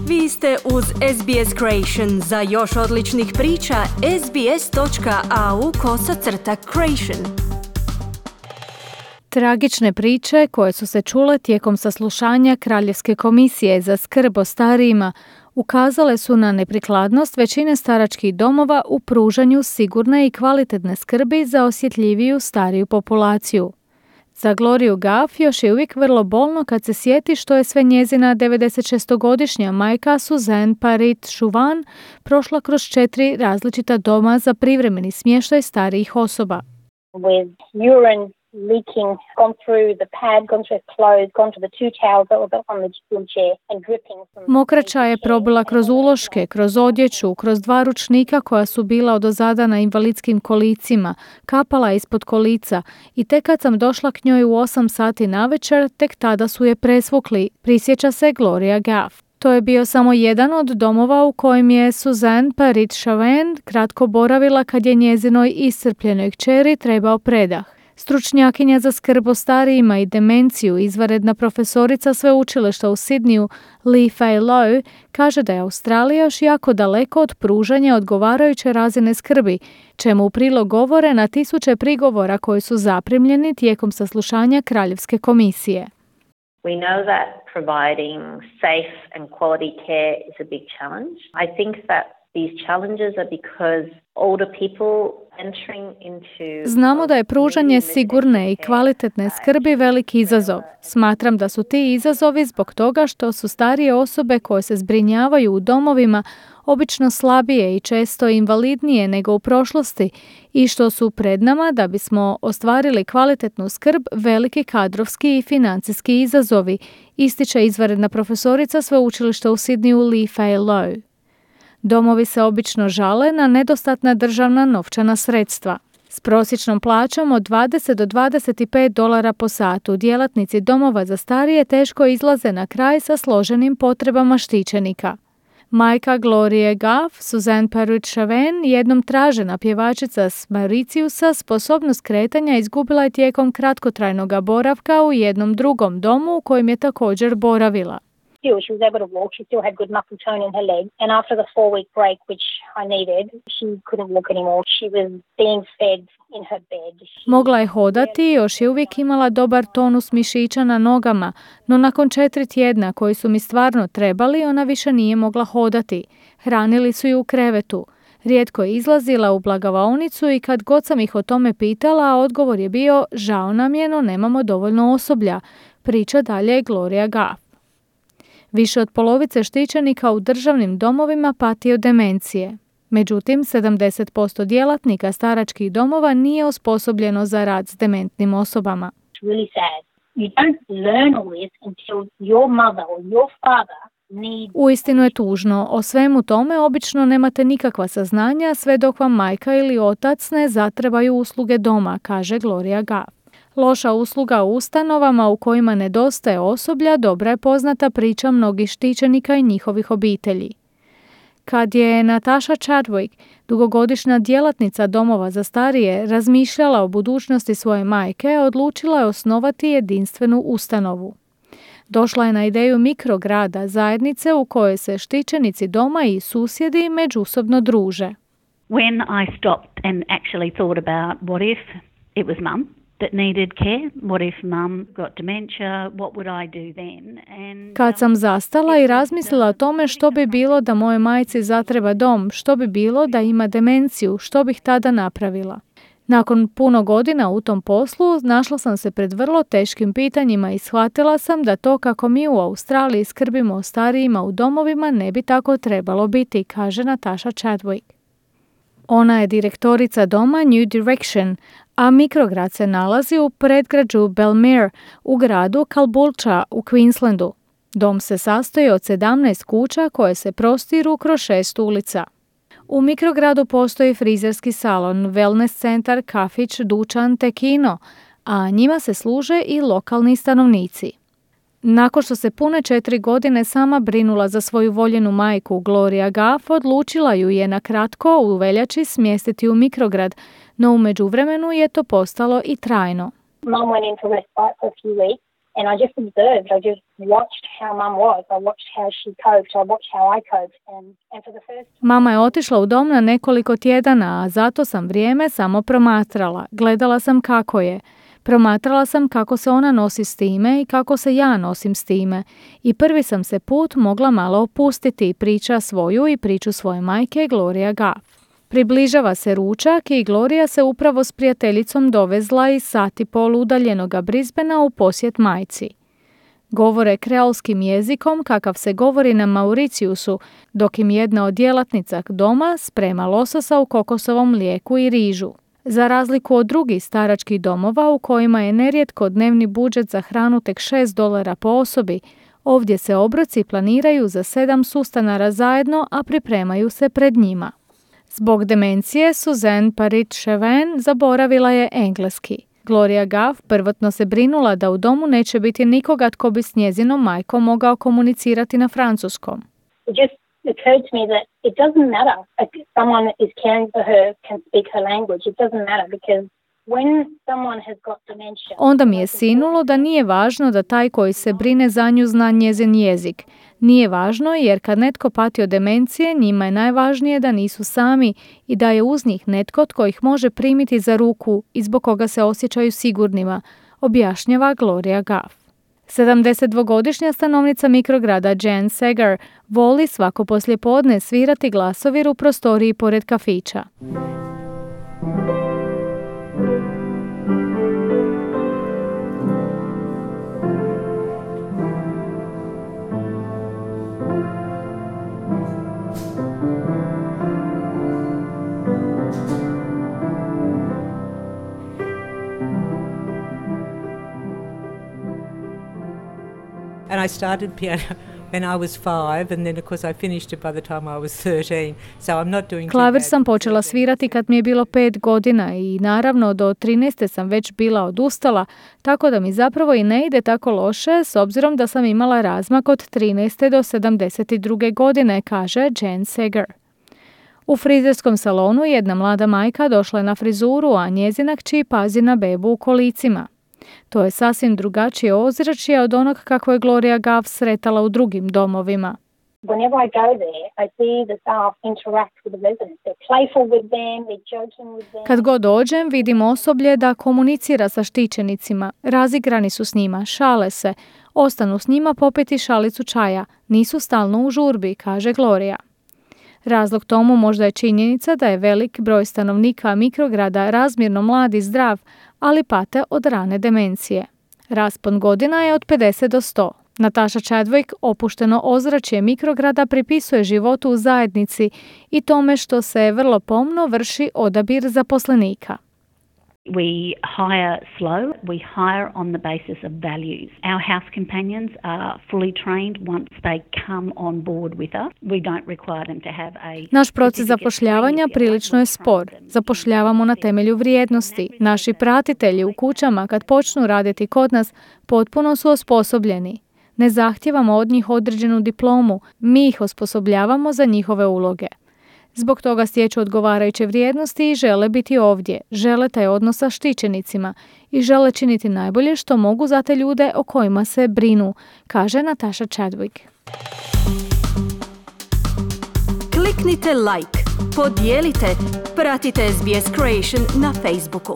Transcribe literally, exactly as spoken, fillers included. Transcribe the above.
Vi ste uz S B S Creation. Za još odličnih priča, sbs.au kosacrta creation. Tragične priče koje su se čule tijekom saslušanja Kraljevske komisije za skrb o starijima ukazale su na neprikladnost većine staračkih domova u pružanju sigurne i kvalitetne skrbi za osjetljiviju stariju populaciju. Za Gloriju Gaff još je uvijek vrlo bolno kad se sjeti što je sve njezina devedesetšestogodišnja majka Suzanne Parit-Chauvin prošla kroz četiri različita doma za privremeni smještaj starijih osoba. With urine leaking, gone through the pad, gone through her clothes, gone to the two towels that were on the wheelchair and dripping from... Mokraća je probila kroz uloške, kroz odjeću, kroz dva ručnika koja su bila odozada na invalidskim kolicima, kapala ispod kolica i tek kad sam došla k njoj u osam sati navečer, tek tada su je presvukli, prisjeća se Gloria Gaff. To je bio samo jedan od domova u kojem je Suzanne Parit-Chauvin kratko boravila kad je njezinoj iscrpljenoj kćeri trebao predah. Stručnjakinja za skrb o starijima i demenciju, izvanredna profesorica sveučilišta u Sidneyu, Lee Fay Low, kaže da je Australija još jako daleko od pružanja odgovarajuće razine skrbi, čemu u prilog govore na tisuće prigovora koji su zaprimljeni tijekom saslušanja Kraljevske komisije. We know that providing safe and quality care is a big challenge. I think that these challenges are because older people entering into... Znamo da je pružanje sigurne i kvalitetne skrbi veliki izazov. Smatram da su ti izazovi zbog toga što su starije osobe koje se zbrinjavaju u domovima obično slabije i često invalidnije nego u prošlosti i što su pred nama da bismo ostvarili kvalitetnu skrb veliki kadrovski i financijski izazovi, ističe izvanredna profesorica sveučilišta u Sidneyu Lee Fay Low. Domovi se obično žale na nedostatna državna novčana sredstva. S prosječnom plaćom od dvadeset do dvadeset pet dolara po satu djelatnici domova za starije teško izlaze na kraj sa složenim potrebama štićenika. Majka Glorie Gaff, Suzanne Parit-Chauvin, jednom tražena pjevačica s Mauritiusa, sposobnost kretanja izgubila je tijekom kratkotrajnog boravka u jednom drugom domu u kojem je također boravila. Still, she was able to walk. She still had good muscle tone in her leg. And after the four-week break, which I needed, she couldn't walk anymore. She was being fed in her bed. She... Mogla je hodati i još je uvijek imala dobar tonus mišića na nogama, no nakon četiri tjedna koji su mi stvarno trebali, ona više nije mogla hodati. Hranili su ju u krevetu. Rijetko je izlazila u blagavaonicu i kad god sam ih o tome pitala, odgovor je bio žao nam je, no nemamo dovoljno osoblja, priča dalje Gloria Gaff. Više od polovice štićenika u državnim domovima pati od demencije. Međutim, sedamdeset posto djelatnika staračkih domova nije osposobljeno za rad s dementnim osobama. Really sad. You don't learn all this until your mother or your father need... Uistinu je tužno. O svemu tome obično nemate nikakva saznanja sve dok vam majka ili otac ne zatrebaju usluge doma, kaže Gloria Gaff. Loša usluga u ustanovama u kojima nedostaje osoblja dobra je poznata priča mnogih štićenika i njihovih obitelji. Kad je Natasha Chadwick, dugogodišnja djelatnica domova za starije, razmišljala o budućnosti svoje majke, odlučila je osnovati jedinstvenu ustanovu. Došla je na ideju mikrograda, zajednice u kojoj se štićenici doma i susjedi međusobno druže. When I stopped and actually thought about what if it was mum that needed care, what if mum got dementia, what would I do then? And Kad sam zastala i razmislila o tome što bi bilo da moje majci zatreba dom, što bi bilo da ima demenciju, što bih tada napravila. Nakon puno godina u tom poslu, našla sam se pred vrlo teškim pitanjima i shvatila sam da to kako mi u Australiji skrbimo o starijima u domovima ne bi tako trebalo biti, kaže Natasha Chadwick. Ona je direktorica doma New Direction, a mikrograd se nalazi u predgrađu Belmere u gradu Caboolture u Queenslandu. Dom se sastoji od sedamnaest kuća koje se prostiru kroz šest ulica. U mikrogradu postoji frizerski salon, wellness centar, kafić, dućan te kino, a njima se služe i lokalni stanovnici. Nakon što se pune četiri godine sama brinula za svoju voljenu majku, Gloria Gaff odlučila ju je na kratko u veljači smjestiti u mikrograd, no u međuvremenu je to postalo i trajno. Mum went into respite for a few weeks And I just observed, I just watched how mum was. I watched how she coped, I watched how I coped. And, and for the first... Mama je otišla u dom na nekoliko tjedana, a zato sam vrijeme samo promatrala. Gledala sam kako je. Promatrala sam kako se ona nosi s time i kako se ja nosim s time. I prvi sam se put mogla malo opustiti, priča svoju i priču svoje majke Gloria Gaff. Približava se ručak i Gloria se upravo s prijateljicom dovezla iz sat i pol udaljenoga Brisbanea u posjet majci. Govore kreolskim jezikom kakav se govori na Mauriciusu, dok im jedna od djelatnica doma sprema lososa u kokosovom mlijeku i rižu. Za razliku od drugih staračkih domova u kojima je nerijetko dnevni budžet za hranu tek šest dolara po osobi, ovdje se obroci planiraju za sedam sustanara zajedno, a pripremaju se pred njima. Zbog demencije, Suzanne Parit-Chauvin zaboravila je engleski. Gloria Gaff prvotno se brinula da u domu neće biti nikoga tko bi s njezinom majkom mogao komunicirati na francuskom. It just occurred to me that it doesn't matter if someone is caring for her can speak her language. It doesn't matter because when someone has got dementia... Onda mi je sinulo da nije važno da taj koji se brine za nju zna njezin jezik. Nije važno jer kad netko pati od demencije, njima je najvažnije da nisu sami i da je uz njih netko tko ih može primiti za ruku i zbog koga se osjećaju sigurnima, objašnjava Gloria Gaff. sedamdesetdvogodišnja stanovnica mikrograda Jen Segar voli svako poslijepodne svirati glasovir u prostoriji pored kafića. And I started piano when I was five, and then of course I finished it by the time I was thirteen. So I'm not doing. Klavir sam počela svirati kad mi je bilo pet godina i naravno do trinaeste sam već bila odustala, tako da mi zapravo i ne ide tako loše s obzirom da sam imala razmak od trinaeste do sedamdeset druge godine, kaže Jen Segar. U frizerskom salonu jedna mlada majka došla je na frizuru, a njezina kći pazi na bebu u kolicima. To je sasvim drugačije ozračje od onog kako je Gloria Gaff sretala u drugim domovima. Whenever I go there, I see the staff interact with the residents. They're playful with them, they're joking with them. Kad god dođem, vidim osoblje da komunicira sa štićenicima. Razigrani su s njima, šale se, ostanu s njima popiti šalicu čaja. Nisu stalno u žurbi, kaže Gloria. Razlog tomu možda je činjenica da je velik broj stanovnika mikrograda razmjerno mlad i zdrav, ali pate od rane demencije. Raspon godina je od pedeset do sto. Natasha Chadwick opušteno ozračje mikrograda pripisuje životu u zajednici i tome što se vrlo pomno vrši odabir zaposlenika. We hire slow. We hire on the basis of values. Our house companions are fully trained once they come on board with us. We don't require them to have a... Naš proces zapošljavanja prilično je spor. Zapošljavamo na temelju vrijednosti. Naši pratitelji u kućama kad počnu raditi kod nas potpuno su osposobljeni. Ne zahtijevamo od njih određenu diplomu, mi ih osposobljavamo za njihove uloge. Zbog toga stječu odgovarajuće vrijednosti i žele biti ovdje, žele taj odnos sa štićenicima i žele činiti najbolje što mogu za te ljude o kojima se brinu, kaže Natasha Chadwick. Kliknite like, podijelite, pratite S B S Creation na Facebooku.